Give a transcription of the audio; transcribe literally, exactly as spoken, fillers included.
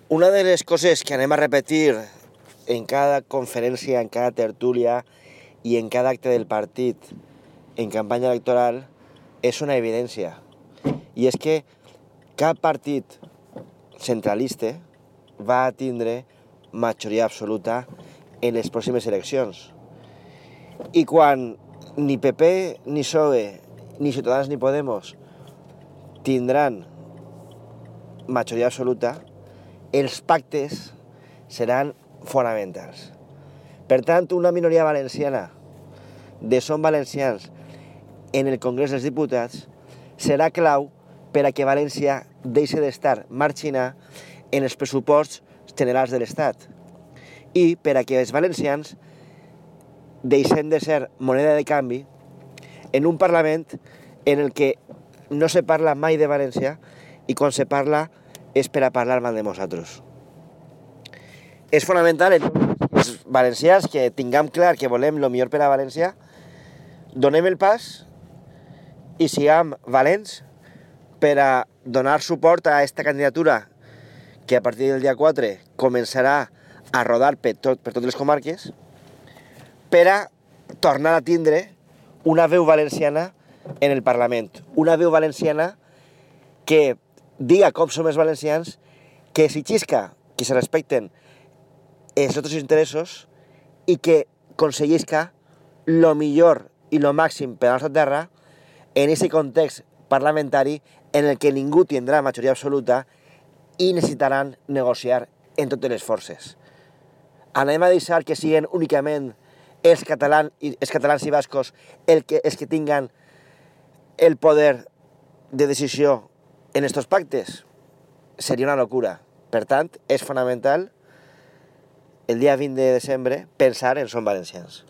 Una de les coses que anem a repetir en cada conferència, en cada tertúlia i en cada acte del partit en campanya electoral és una evidència. I és que cap partit centralista va a tindre majoria absoluta en les pròximes eleccions. I quan ni P P, ni P S O E, ni Ciutadans ni Podemos tindran majoria absoluta, els pactes seran fonamentals. Per tant, una minoria valenciana de Som Valencians en el Congrés dels Diputats serà clau per a que València deixi d'estar marginada en els pressuposts generals de l'Estat i per a que els valencians deixem de ser moneda de canvi en un Parlament en el que no se parla mai de València i quan se parla és per a parlar mal de nosaltres. És fonamental els valencians que tinguem clar que volem el millor per a València, donem el pas i siguem valents per a donar suport a aquesta candidatura que a partir del dia quatre començarà a rodar per, tot, per totes les comarques, per a tornar a tindre una veu valenciana en el Parlament. Una veu valenciana que diga com som els valencians, que s'exisca, que se respecten els nostres interessos i que aconseguisca el millor i el màxim per a la nostra terra en aquest context parlamentari en el que ningú tindrà majoria absoluta i necessitaran negociar en totes les forces. Anem a deixar que siguin únicament els catalans i, els catalans i bascos el que, els que tinguen el poder de decisió en estos pactes? Seria una locura. Per tant, és fonamental el dia vint de desembre pensar en Som Valencians.